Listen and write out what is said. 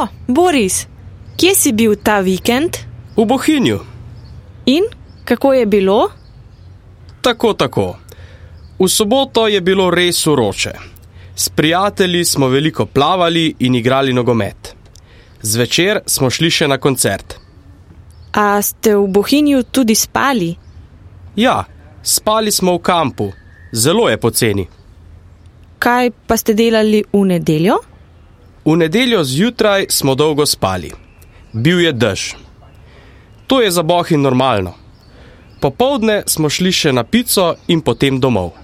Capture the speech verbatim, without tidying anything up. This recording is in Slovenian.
O, Boris, kje si bil ta vikend? V Bohinju. In kako je bilo? Tako, tako. V soboto je bilo res vroče. S prijatelji smo veliko plavali in igrali nogomet. Zvečer smo šli še na koncert. A ste v Bohinju tudi spali? Ja, spali smo v kampu. Zelo je poceni. Kaj pa ste delali v nedeljo? V nedeljo zjutraj smo dolgo spali. Bil je dež. To je za Bohinj normalno. Popoldne smo šli še na pico in potem domov.